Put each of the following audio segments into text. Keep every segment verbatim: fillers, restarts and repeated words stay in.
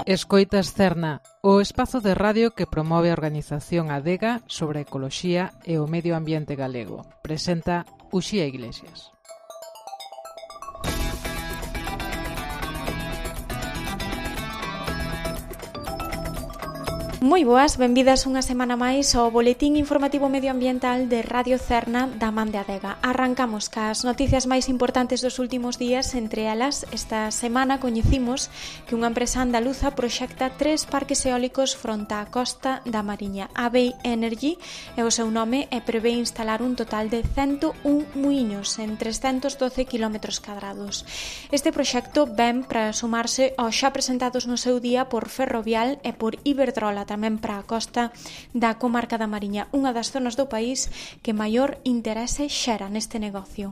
Escoitas Cerna, o espazo de radio que promove a organización Adega sobre a ecoloxía e o medio ambiente galego. Presenta Uxía Iglesias. Moi boas, benvidas unha semana máis ao Boletín Informativo Medioambiental de Radio Cerna da Man de Adega. Arrancamos cas noticias máis importantes dos últimos días. Entre elas, esta semana coñecimos que unha empresa andaluza proxecta tres parques eólicos fronte á costa da Mariña. Avey Energy é o seu nome e prevé instalar un total de cento un muiños en trescentos doce quilómetros cadrados. Este proxecto ven para sumarse aos xa presentados no seu día por Ferrovial e por Iberdrola, tamén para a costa da comarca da Mariña, unha das zonas do país que maior interese xera neste negocio.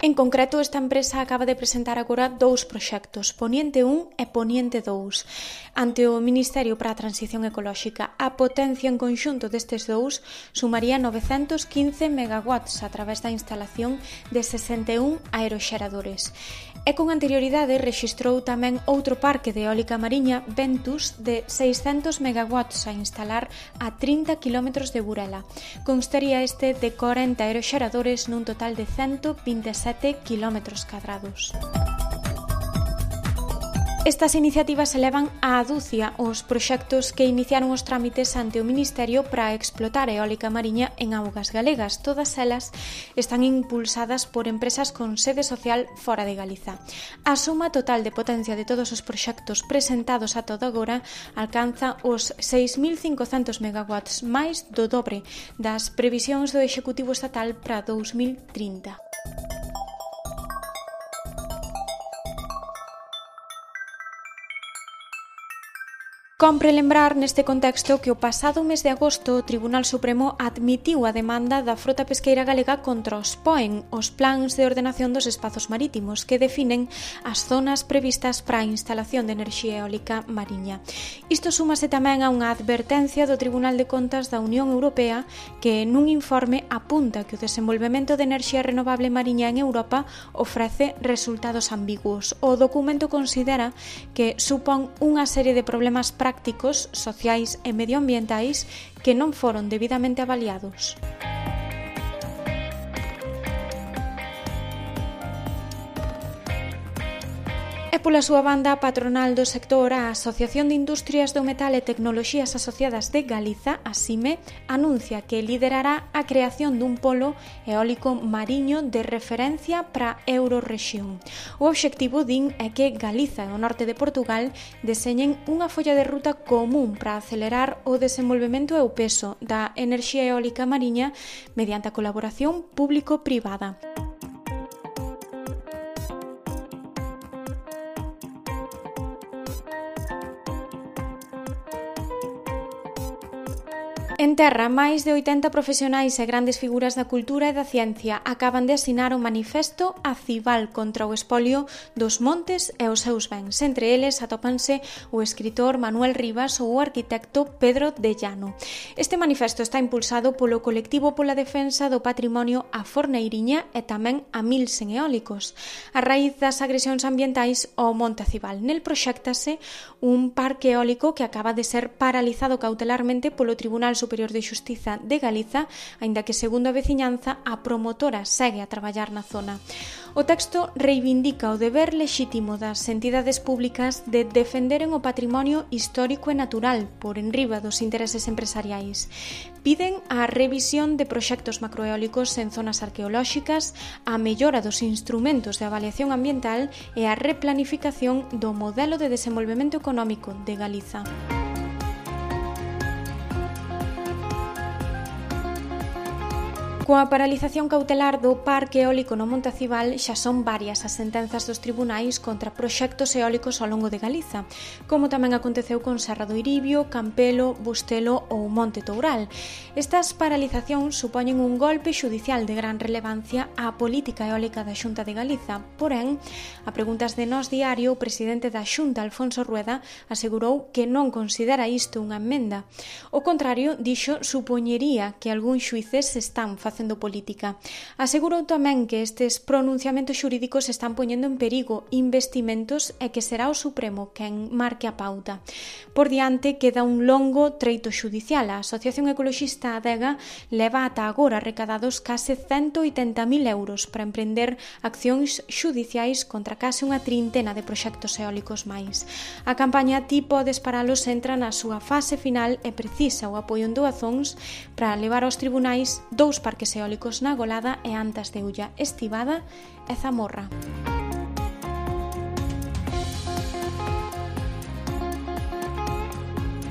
En concreto, esta empresa acaba de presentar agora dous proxectos, Poniente un e Poniente dous. Ante o Ministerio para a Transición Ecolóxica, a potencia en conxunto destes dous sumaría novecentos quince megawatts a través da instalación de sesenta e un aeroxeradores. E con anterioridade rexistrou tamén outro parque de eólica mariña, Ventus, de seiscentos megawatts a instalar a trinta quilómetros de Burela. Constaría este de corenta aeroxeradores nun total de cento vinte e sete quilómetros cadrados. Estas iniciativas elevan á aducia os proxectos que iniciaron os trámites ante o Ministerio para explotar a eólica mariña en augas galegas. Todas elas están impulsadas por empresas con sede social fora de Galiza. A suma total de potencia de todos os proxectos presentados a todo agora alcanza os seis mil cincocentos megawatts, máis do dobre das previsións do Executivo Estatal para dous mil trinta. Compre lembrar neste contexto que o pasado mes de agosto o Tribunal Supremo admitiu a demanda da frota pesqueira galega contra os P O E N, os plans de ordenación dos espazos marítimos, que definen as zonas previstas para a instalación de enerxía eólica mariña. Isto súmase tamén a unha advertencia do Tribunal de Contas da Unión Europea que nun informe apunta que o desenvolvemento de enerxía renovable mariña en Europa ofrece resultados ambiguos. O documento considera que supón unha serie de problemas prácticos prácticos, sociais e medioambientais que non foron debidamente avaliados. E pola súa banda, a patronal do sector, a Asociación de Industrias do Metal e Tecnoloxías Asociadas de Galiza, a SIME, anuncia que liderará a creación dun polo eólico mariño de referencia para a Eurorrexión. O obxectivo, din, é que Galiza e o norte de Portugal deseñen unha folla de ruta común para acelerar o desenvolvemento e o peso da enerxía eólica mariña mediante a colaboración público-privada. En terra, máis de oitenta profesionais e grandes figuras da cultura e da ciencia acaban de asinar o manifesto Acival contra o espolio dos montes e os seus bens. Entre eles atópanse o escritor Manuel Rivas ou o arquitecto Pedro de Llano. Este manifesto está impulsado polo colectivo pola defensa do patrimonio A Forneiriña e tamén a Milsen Eólicos, a raíz das agresións ambientais ao Monte Acival. Nel proxéctase un parque eólico que acaba de ser paralizado cautelarmente polo Tribunal Superior de Xustiza de Galiza, aínda que, segundo a veciñanza, a promotora segue a traballar na zona. O texto reivindica o deber lexítimo das entidades públicas de defenderen o patrimonio histórico e natural por enriba dos intereses empresariais. Piden a revisión de proxectos macroeólicos en zonas arqueolóxicas, a mellora dos instrumentos de avaliación ambiental e a replanificación do modelo de desenvolvemento económico de Galiza. Coa paralización cautelar do parque eólico no Monte Acival, xa son varias as sentenzas dos tribunais contra proxectos eólicos ao longo de Galiza, como tamén aconteceu con Serra do Iribio, Campelo, Bustelo ou Monte Toural. Estas paralizacións supoñen un golpe xudicial de gran relevancia á política eólica da Xunta de Galiza. Porén, a preguntas de Nós Diario, o presidente da Xunta, Alfonso Rueda, asegurou que non considera isto unha emenda. O contrario, dixo, supoñería que algúns xuíces están facendo facendo política. Asegurou tamén que estes pronunciamentos xurídicos están poñendo en perigo investimentos e que será o Supremo quen marque a pauta. Por diante queda un longo treito xudicial. A Asociación Ecoloxista Adega leva ata agora recadados case ciento oitenta mil euros para emprender accións xudiciais contra case unha trintena de proxectos eólicos máis. A campaña Ti podes paralos entra na súa fase final e precisa o apoio en doazóns para levar aos tribunais dous parques eólicos na Golada e Antas de Ulla, Estivada e Zamorra.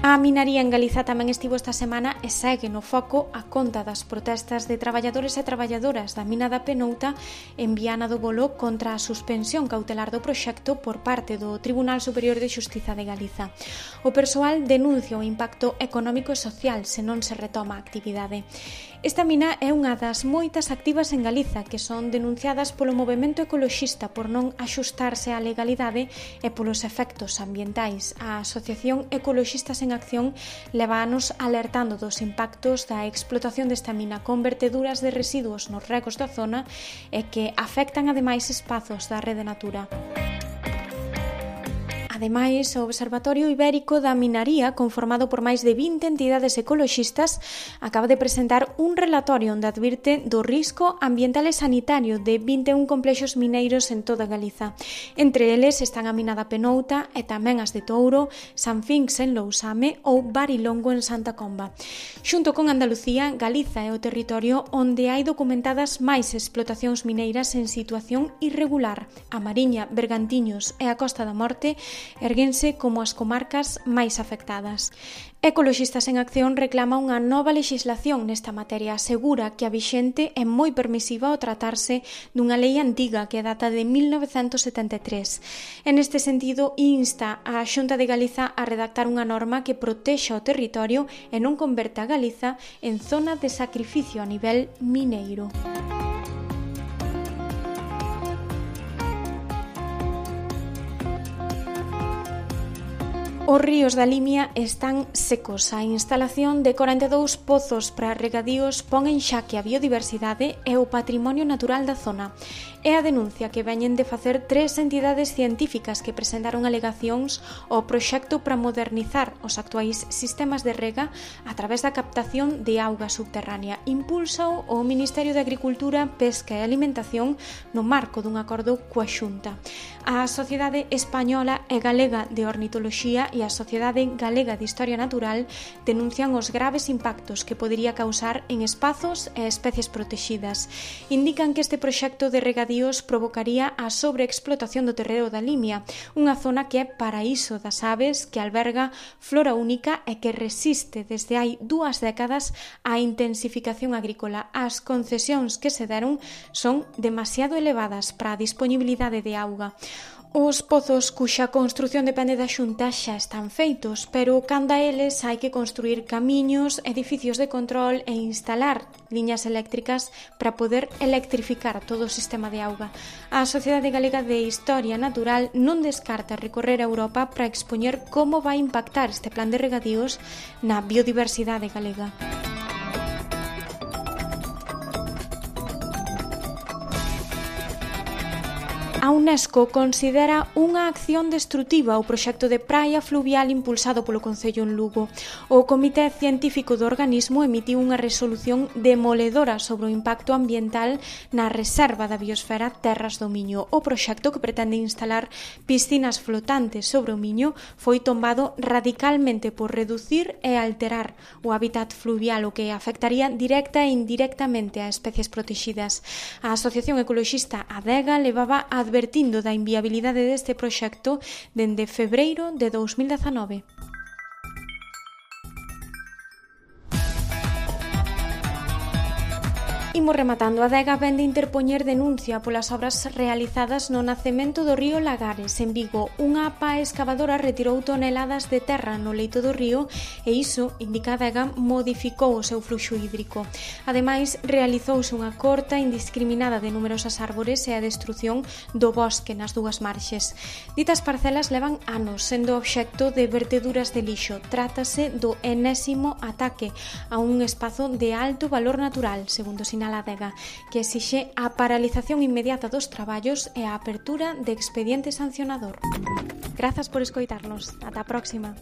A minaría en Galiza tamén estivo esta semana e segue no foco a conta das protestas de traballadores e traballadoras da mina da Penouta en Viana do Bolo contra a suspensión cautelar do proxecto por parte do Tribunal Superior de Xustiza de Galiza. O persoal denuncia o impacto económico e social se non se retoma a actividade. Esta mina é unha das moitas activas en Galiza que son denunciadas polo movemento ecoloxista por non axustarse á legalidade e polos efectos ambientais. A Asociación Ecoloxistas en Acción leva anos alertando dos impactos da explotación desta mina con verteduras de residuos nos regos da zona e que afectan ademais espazos da rede Natura. Ademais, o Observatorio Ibérico da Minaría, conformado por máis de vinte entidades ecoloxistas, acaba de presentar un relatorio onde advirte do risco ambiental e sanitario de vinte e un complexos mineiros en toda Galiza. Entre eles están a mina da Penouta e tamén as de Touro, San Finx en Lousame ou Barilongo en Santa Comba. Xunto con Andalucía, Galiza é o territorio onde hai documentadas máis explotacións mineiras en situación irregular. A Mariña, Bergantiños e a Costa da Morte erguense como as comarcas máis afectadas. Ecoloxistas en Acción reclama unha nova lexislación nesta materia. Asegura que a vixente é moi permisiva ao tratarse dunha lei antiga que data de mil novecentos setenta e tres. En este sentido, insta a Xunta de Galiza a redactar unha norma que protexa o territorio e non converta a Galiza en zona de sacrificio a nivel mineiro. Os ríos da Limia están secos. A instalación de corenta e dous pozos para regadíos pon en xaque a biodiversidade e o patrimonio natural da zona. É a denuncia que veñen de facer tres entidades científicas que presentaron alegacións ao proxecto para modernizar os actuais sistemas de rega a través da captación de auga subterránea. Impúlsao o Ministerio de Agricultura, Pesca e Alimentación no marco dun acordo coa Xunta. A Sociedade Española e Galega de Ornitoloxía e a Sociedade Galega de Historia Natural denuncian os graves impactos que podería causar en espazos e especies protexidas. Indican que este proxecto de regadíos provocaría a sobreexplotación do terreo da Limia, unha zona que é paraíso das aves, que alberga flora única e que resiste desde hai dúas décadas a intensificación agrícola. As concesións que se deron son demasiado elevadas para a disponibilidade de auga. Os pozos cuxa construción depende da Xunta xa están feitos, pero canda eles hai que construir camiños, edificios de control e instalar liñas eléctricas para poder electrificar todo o sistema de auga. A Sociedade Galega de Historia Natural non descarta recorrer a Europa para expoñer como vai impactar este plan de regadíos na biodiversidade galega. A UNESCO considera unha acción destrutiva o proxecto de praia fluvial impulsado polo Concello en Lugo. O Comité Científico do organismo emitiu unha resolución demoledora sobre o impacto ambiental na reserva da biosfera Terras do Miño. O proxecto, que pretende instalar piscinas flotantes sobre o Miño, foi tombado radicalmente por reducir e alterar o hábitat fluvial, o que afectaría directa e indirectamente a especies protexidas. A Asociación Ecoloxista Adega levaba a advertindo da inviabilidade deste proxecto dende febreiro de dous mil dezanove. Imos rematando. A Adega vende interpoñer denuncia polas obras realizadas no nacemento do río Lagares, en Vigo. Unha pá escavadora retirou toneladas de terra no leito do río e iso, indica a Adega, modificou o seu fluxo hídrico. Ademais, realizouse unha corta indiscriminada de numerosas árbores e a destrución do bosque nas dúas marxes. Ditas parcelas levan anos sendo obxecto de verteduras de lixo. Trátase do enésimo ataque a un espazo de alto valor natural, segundo sinala Nacional Adega, que exixe a paralización inmediata dos traballos e a apertura de expediente sancionador. Grazas por escoitarnos. Ata a próxima.